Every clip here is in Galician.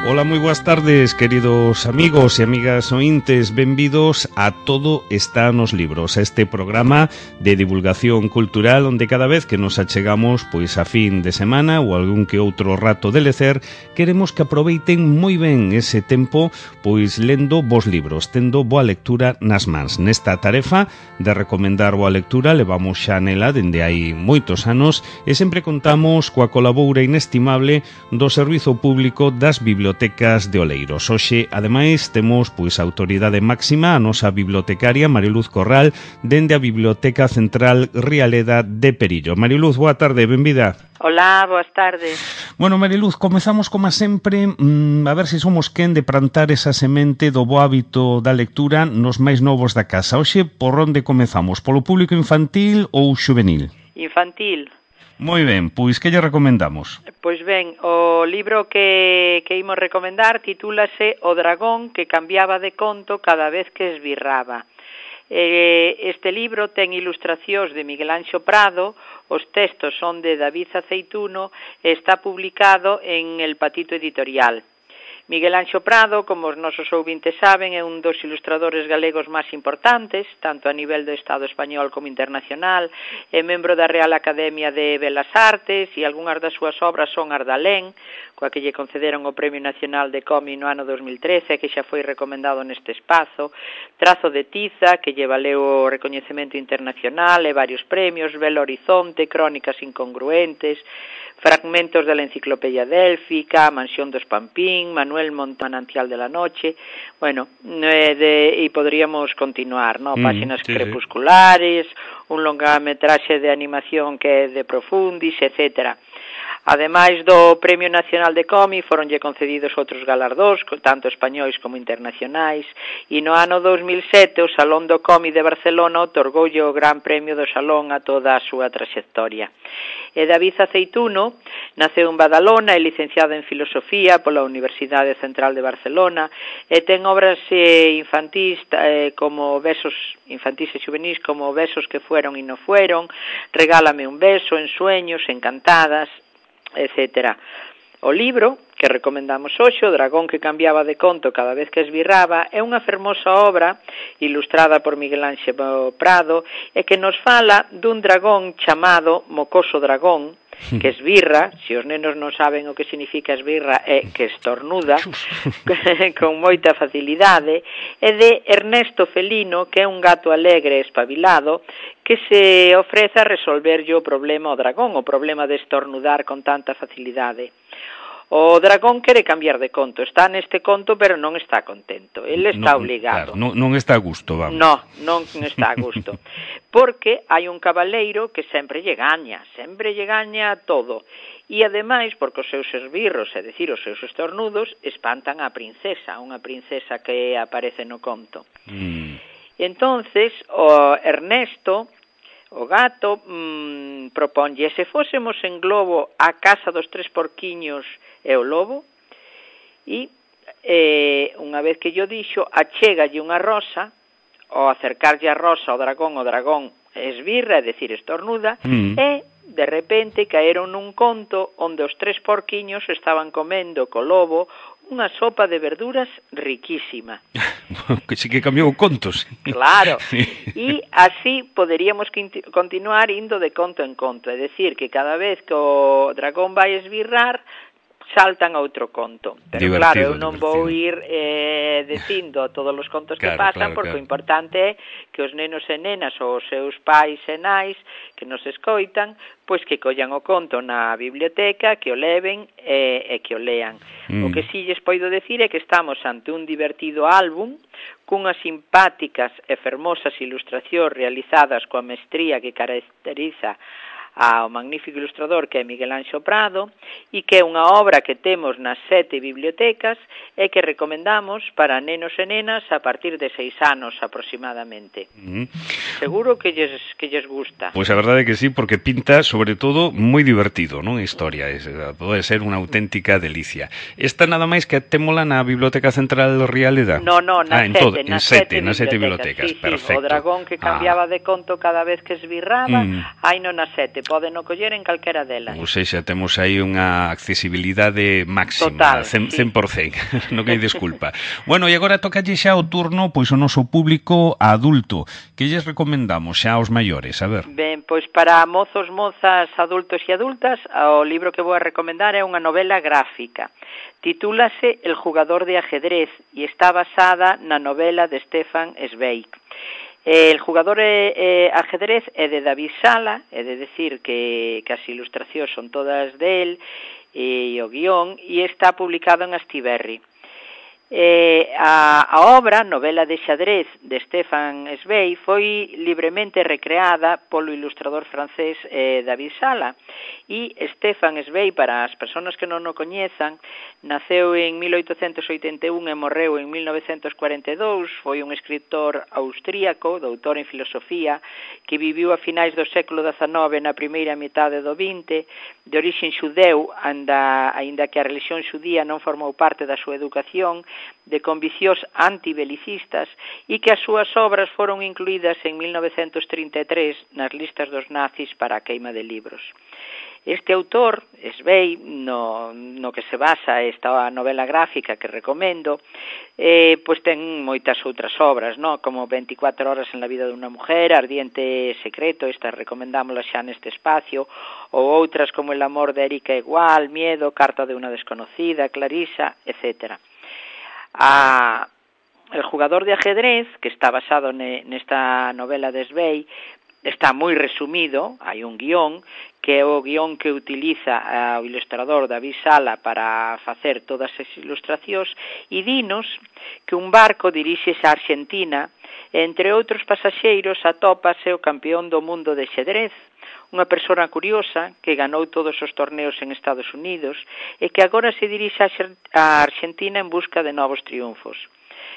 Ola, moi boas tardes, queridos amigos e amigas ointes. Benvidos a Todo está nos libros, este programa de divulgación cultural onde cada vez que nos achegamos pois a fin de semana ou algún que outro rato de lecer, queremos que aproveiten moi ben ese tempo pois lendo vos libros, tendo boa lectura nas mans. Nesta tarefa de recomendar boa lectura levamos xa nela dende hai moitos anos e sempre contamos coa colaboura inestimable do Servizo Público das Bibliotecas de Oleiros. Hoxe, ademais, temos pois a autoridade máxima, a nosa bibliotecaria Mariluz Corral, dende a Biblioteca Central Rialeda de Perillo. Mariluz, boa tarde, benvida. Hola, boas tardes. Bueno, Mariluz, comezamos como sempre a ver se somos quen de plantar esa semente do bo hábito da lectura nos máis novos da casa. Hoxe, por onde comezamos? Polo público infantil ou xuvenil? Infantil. Moi ben, pois que lle recomendamos? Pois ben, o libro que imos recomendar titúlase O dragón que cambiaba de conto cada vez que esbirraba. Este libro ten ilustracións de Miguel Anxo Prado, os textos son de David Aceituno e está publicado en El Patito Editorial. Miguel Anxo Prado, como os nosos ouvintes saben, é un dos ilustradores galegos máis importantes, tanto a nivel do Estado español como internacional, é membro da Real Academia de Belas Artes e algunhas das súas obras son Ardalén, coa que lle concederon o Premio Nacional de Cómic no ano 2013, que xa foi recomendado neste espazo, Trazo de Tiza, que lle valeu o recoñecemento internacional e varios premios, Belo Horizonte, Crónicas incongruentes, Fragmentos de la Enciclopedia Délfica, Mansión dos Pampín, Manuel Manantial de la Noche, bueno, e podríamos continuar, ¿no? Páxinas crepusculares, un longametraxe de animación que é de Profundis, etcétera. Ademais do Premio Nacional de Cómic, foronlle concedidos outros galardóns, tanto españois como internacionais, e no ano 2007 o Salón do Cómic de Barcelona otorgoulle o Gran Premio do Salón a toda a súa traxectoria. E David Aceituno naceu en Badalona, é licenciado en Filosofía pola Universidade Central de Barcelona e ten obras infantís como Besos infantís e xuvenís como Besos que fueron e no fueron, Regálame un beso, Ensueños, Encantadas, etcétera. O libro que recomendamos hoxe, O dragón que cambiaba de conto cada vez que esbirraba, é unha fermosa obra ilustrada por Miguel Anxo Prado e que nos fala dun dragón chamado Mocoso Dragón, que esbirra, se os nenos non saben o que significa esbirra, é que estornuda con moita facilidade, e de Ernesto Felino, que é un gato alegre e espabilado, que se ofrece a resolverlle o problema ao dragón, o problema de estornudar con tanta facilidade. O dragón quere cambiar de conto, está neste conto pero non está contento, ele está obligado. Claro, non está a gusto, vamos. Non está a gusto, porque hai un cabaleiro que sempre lle gaña todo. E ademais, porque os seus esbirros, é dicir, os seus estornudos, espantan a princesa, unha princesa que aparece no conto. E entonces, o Ernesto, o gato, proponlle, se fósemos en globo a casa dos tres porquiños e o lobo, e unha vez que yo dixo, achégalle unha rosa, ao acercarlle a rosa ao dragón esbirra, é dicir, estornuda, e de repente caeron nun conto onde os tres porquiños estaban comendo co lobo unha sopa de verduras riquísima. Que sí que cambiou contos. Claro, e así poderíamos continuar indo de conto en conto, é dicir, que cada vez que o dragón vai esbirrar, saltan a outro conto. Pero claro, eu non vou ir dicindo todos os contos que pasan, porque o importante é que os nenos e nenas ou os seus pais e nais que nos escoitan, pois que collan o conto na biblioteca, que o leven e que o lean. O que si lles poido decir é que estamos ante un divertido álbum cunhas simpáticas e fermosas ilustracións realizadas coa mestría que caracteriza ao magnífico ilustrador que é Miguel Anxo Prado e que é unha obra que temos nas 7 bibliotecas e que recomendamos para nenos e nenas a partir de 6 anos aproximadamente. Seguro que lles gusta. Pois a verdade é que sí, porque pinta sobre todo moi divertido, non? A historia, pode ser unha auténtica delicia. Esta nada máis que témola na Biblioteca Central Rialeda? No, nas 7 bibliotecas. Sí, perfecto. O dragón que cambiaba de conto cada vez que esbirraba, hai non nas 7. poden o coller en calquera delas. Ou seja, temos aí unha accesibilidade máxima, total, 100%, non hai desculpa. Bueno, e agora tocalle xa o turno pois o noso público adulto. Que lles recomendamos xa aos maiores? A ver. Ben, pois para mozos, mozas, adultos e adultas, o libro que vou a recomendar é unha novela gráfica. Titúlase El jugador de ajedrez e está basada na novela de Stefan Zweig. El jugador de ajedrez é de David Sala, é de decir que as ilustracións son todas del, e o guión, e está publicado en Astiberri. A obra, novela de xadrez de Stefan Zweig, foi libremente recreada polo ilustrador francés David Sala. E Stefan Zweig, para as persoas que non o coñezan, naceu en 1881 e morreu en 1942, foi un escritor austríaco, doutor en filosofía, que viviu a finais do século XIX na primeira metade do XX, de orixen xudeu, aínda que a religión xudía non formou parte da súa educación, de conviccións antibelicistas, e que as súas obras foron incluídas en 1933 nas listas dos nazis para a queima de libros. Este autor, Zweig, no que se basa esta novela gráfica que recomendo, pois ten moitas outras obras, no? Como 24 horas en la vida de unha mujer, Ardiente secreto, estas recomendámoslas xa neste espacio, ou outras como El amor de Erika Igual, Miedo, Carta de una desconocida, Clarisa, etcétera. El jugador de ajedrez, que está basado nesta novela de Zweig, está moi resumido, hai un guión, que é o guión que utiliza o ilustrador David Sala para facer todas as ilustracións, e dinos que un barco diríxese a Argentina, e entre outros pasaxeiros atópase o campeón do mundo de xadrez, unha persona curiosa que ganou todos os torneos en Estados Unidos e que agora se dirixe a Argentina en busca de novos triunfos.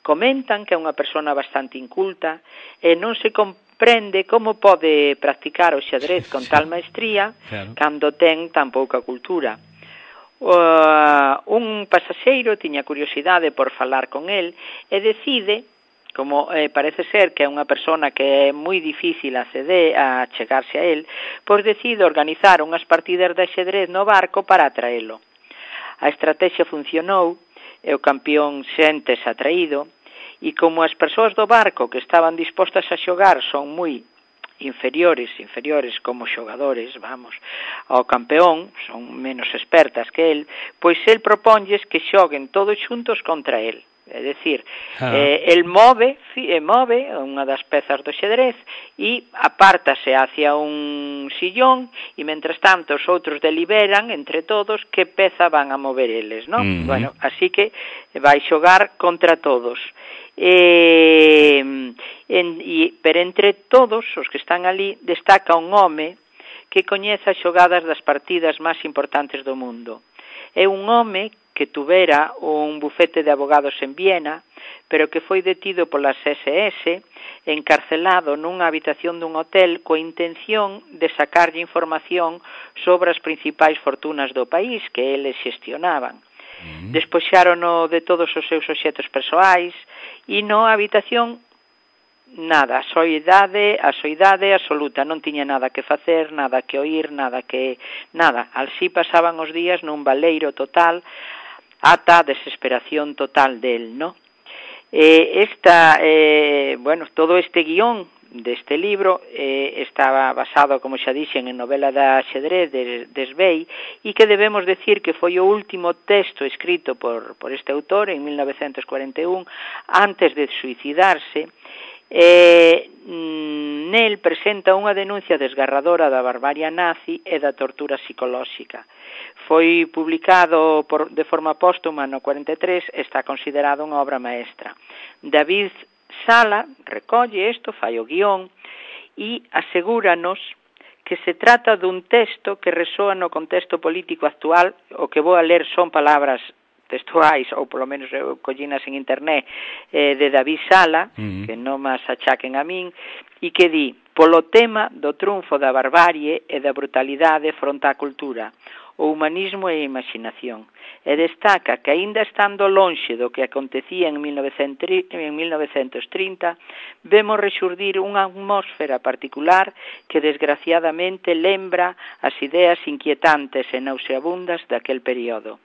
Comentan que é unha persona bastante inculta e non se comprende como pode practicar o xadrez con tal maestría cando ten tan pouca cultura. Un pasaxeiro tiña curiosidade por falar con el e decide, como parece ser que é unha persona que é moi difícil a chegarse a él, pois decide organizar unhas partidas de ajedrez no barco para atraelo. A estrategia funcionou e o campeón séntese atraído, e como as persoas do barco que estaban dispostas a xogar son moi inferiores como xogadores, ao campeón, son menos expertas que el, pois el proponlles que xoguen todos xuntos contra el. É dicir, el move unha das pezas do xadrez e apártase hacia un sillón e, mentres tanto, os outros deliberan entre todos que peza van a mover eles, non? Bueno, así que vai xogar contra todos. Pero entre todos os que están ali destaca un home que coñece as xogadas das partidas máis importantes do mundo. É un home que tuvera un bufete de abogados en Viena, pero que foi detido polas SS, encarcelado nunha habitación dun hotel coa intención de sacarlle información sobre as principais fortunas do país que eles xestionaban. Despoxárono de todos os seus obxetos persoais e na habitación nada, a soidade absoluta, non tiña nada que facer, nada que oír, nada. Así pasaban os días nun baleiro total, ata a desesperación total del, ¿no? Todo este guión deste libro estaba basado, como xa dixen, en novela da xadrez de Zweig, e que debemos decir que foi o último texto escrito por este autor en 1941, antes de suicidarse. Nel presenta unha denuncia desgarradora da barbarie nazi e da tortura psicolóxica. Foi publicado de forma póstuma no 43, está considerado unha obra maestra. David Sala recolle isto, fai o guión e asegúranos que se trata dun texto que resoa no contexto político actual. O que vou a ler son palabras textuais, ou polo menos collinas en internet, de David Sala, que non mas achaquen a min, e que di: polo tema do triunfo da barbarie e da brutalidade fronte á cultura. o humanismo e a imaginación. E destaca que, aínda estando lonxe do que acontecía en 1930, vemos rexurdir unha atmósfera particular que desgraciadamente lembra as ideas inquietantes e nauseabundas daquel período.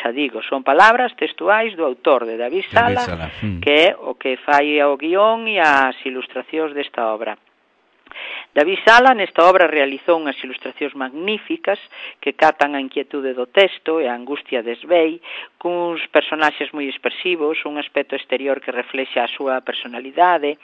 Xa digo, son palabras textuais do autor de David Sala, que é o que fai o guión e as ilustracións desta obra. David Sala nesta obra realizou unhas ilustracións magníficas que catan a inquietude do texto e a angustia de Sveig, cuns personaxes moi expresivos, un aspecto exterior que reflexa a súa personalidade.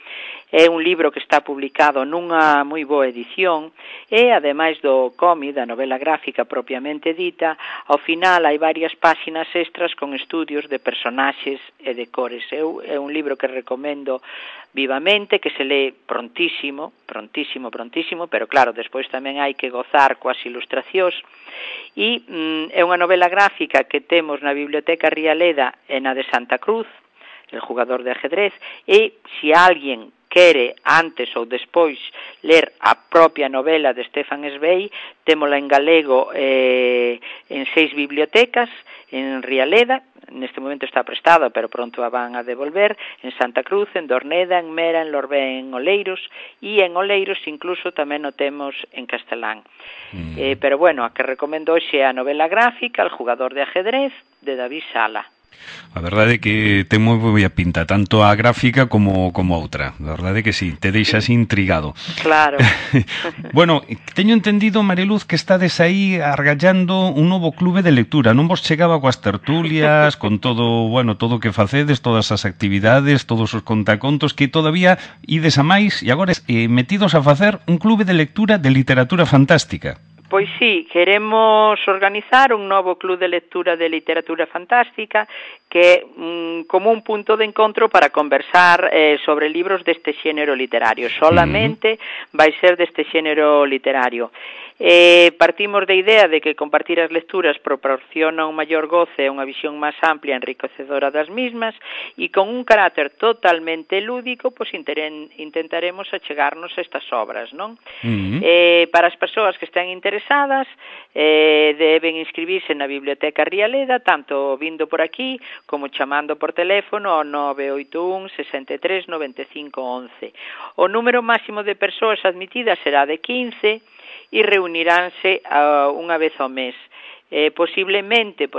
É un libro que está publicado nunha moi boa edición e, ademais do cómic, da novela gráfica propiamente dita, ao final hai varias páxinas extras con estudios de personaxes e de cores. É un libro que recomendo vivamente, que se lee prontísimo, pero claro, despois tamén hai que gozar coas ilustracións. E é unha novela gráfica que temos na Biblioteca Rialeda e na de Santa Cruz, El jugador de ajedrez, e se alguén quere antes ou despois ler a propia novela de Stefan Zweig, témola en galego en 6 bibliotecas, en Rialeda, neste momento está prestada, pero pronto a van a devolver, en Santa Cruz, en Dorneda, en Mera, en Lorbé, en Oleiros, e en Oleiros incluso tamén o temos en castelán. Pero bueno, a que recomendo hoxe é a novela gráfica El jugador de ajedrez, de David Sala. A verdade é que ten moi boa pinta, tanto a gráfica como a outra. A verdade é que sí, te deixas intrigado. Claro. Bueno, teño entendido, Mariluz, que estades aí argallando un novo clube de lectura. Non vos chegaba coas tertulias, con todo, bueno, todo o que facedes, todas as actividades, todos os contacontos, que todavía ides a máis e agora metidos a facer un clube de lectura de literatura fantástica. Pois sí, queremos organizar un novo club de lectura de literatura fantástica que é como un punto de encontro para conversar sobre libros deste xénero literario. Solamente vai ser deste xénero literario. Partimos da idea de que compartir as lecturas proporciona un maior goce e unha visión máis amplia e enriquecedora das mismas, e con un carácter totalmente lúdico, pois intentaremos achegarnos a estas obras, non? Para as persoas que estén interesadas, deben inscribirse na Biblioteca Rialeda, tanto vindo por aquí como chamando por teléfono ao 981 63 95 11. O número máximo de persoas admitidas será de 15 e reuniránse unha vez ao mes. Posiblemente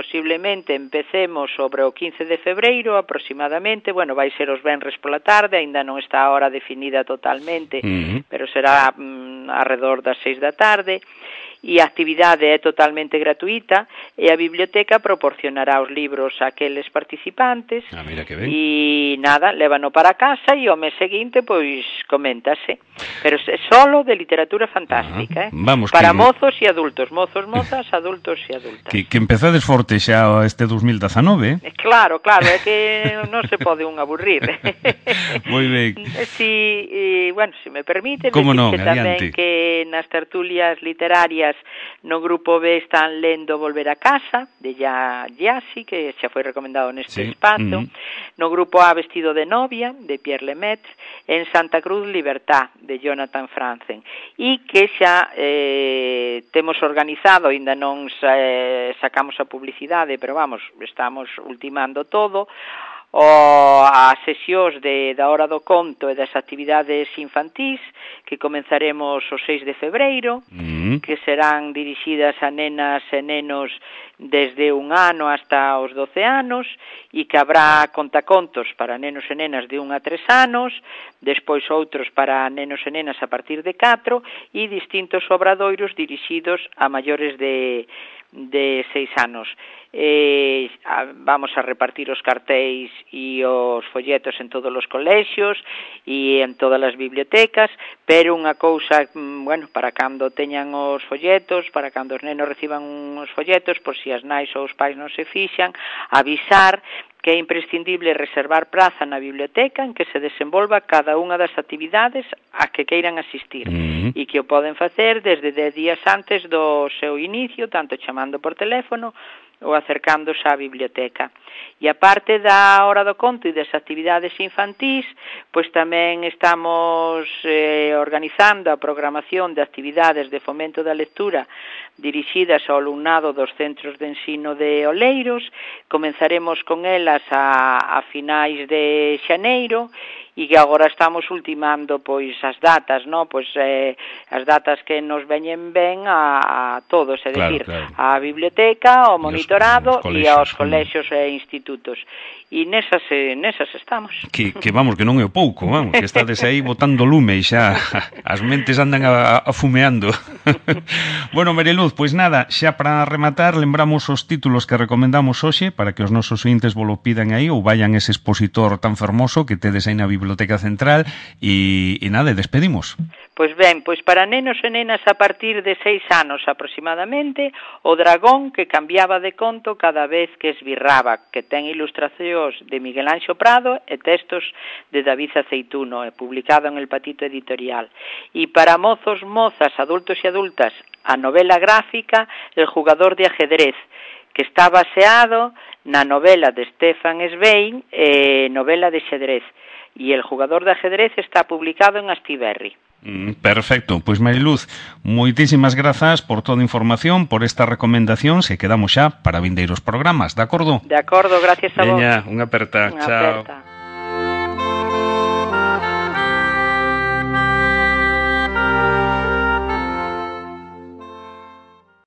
empecemos sobre o 15 de febreiro aproximadamente, bueno, vai ser os venres pola tarde, aínda non está a hora definida totalmente, pero será arredor das 6 da tarde, e a actividade é totalmente gratuita e a biblioteca proporcionará os libros a aqueles participantes. Mira que ben. E nada, lévano para casa e ao mes seguinte pois coméntase, pero é solo de literatura fantástica, Vamos, para mozos e adultos, mozos, mozas, adultos e adultas. Que empezades forte xa este 2019, Claro, é que non se pode un aburrir. Moi ben. Si, bueno, se me permite, como non, tamén que nas tertulias literarias no grupo B están lendo Volver a casa, de Yassi, que xa foi recomendado neste espazo, no grupo A Vestido de novia, de Pierre Lemaitre, en Santa Cruz Libertad, de Jonathan Franzen, e que xa temos organizado, ainda non sacamos a publicidade, pero vamos, estamos ultimando todo, as sesións da Hora do Conto e das actividades infantís que comenzaremos o 6 de febreiro, que serán dirixidas a nenas e nenos desde 1 ano hasta os 12 anos, e que habrá contacontos para nenos e nenas de 1 a 3 anos, despois outros para nenos e nenas a partir de 4, e distintos obradoiros dirixidos a maiores de 6 anos. Vamos a repartir os cartéis e os folletos en todos os colexios e en todas as bibliotecas, pero unha cousa, bueno, para cando teñan os folletos, para cando os nenos reciban os folletos, por si as nais ou os pais non se fixan, avisar que é imprescindible reservar praza na biblioteca en que se desenvolva cada unha das actividades a que queiran asistir e que o poden facer desde 10 días antes do seu inicio, tanto chamando por teléfono ou acercándose á biblioteca. E a parte da hora do conto e das actividades infantís, pois tamén estamos organizando a programación de actividades de fomento da lectura dirixidas ao alumnado dos centros de ensino de Oleiros. Comenzaremos con elas a finais de xaneiro, e que agora estamos ultimando pois as datas, no? Pois as datas que nos veñen ben a todos, é dicir, a biblioteca, ao monitorado e aos colexios e institutos. E nesas estamos. Que vamos, que non é pouco, vamos, que estades aí botando lume e xa as mentes andan afumeando. Bueno, Mariluz, pois nada, xa para rematar, lembramos os títulos que recomendamos hoxe para que os nosos ointes volo pidan aí ou vayan ese expositor tan fermoso que tedes aí na Biblioteca Central e nada, despedimos. Pois ben, pois para nenos e nenas a partir de 6 anos aproximadamente, O dragón que cambiaba de conto cada vez que esbirraba, que ten ilustracións de Miguel Anxo Prado e textos de David Aceituno, publicado en El Patito Editorial. E para mozos, mozas, adultos e adultas, a novela gráfica El jugador de ajedrez, que está baseado na novela de Stefan Zweig, novela de xadrez. E El jugador de ajedrez está publicado en Astiberri. Perfecto, pois Mariluz, moitísimas grazas por toda a información, por esta recomendación, se quedamos xa para vindeiros programas, de acordo? De acordo, gracias a vos. Veña, unha aperta, chao.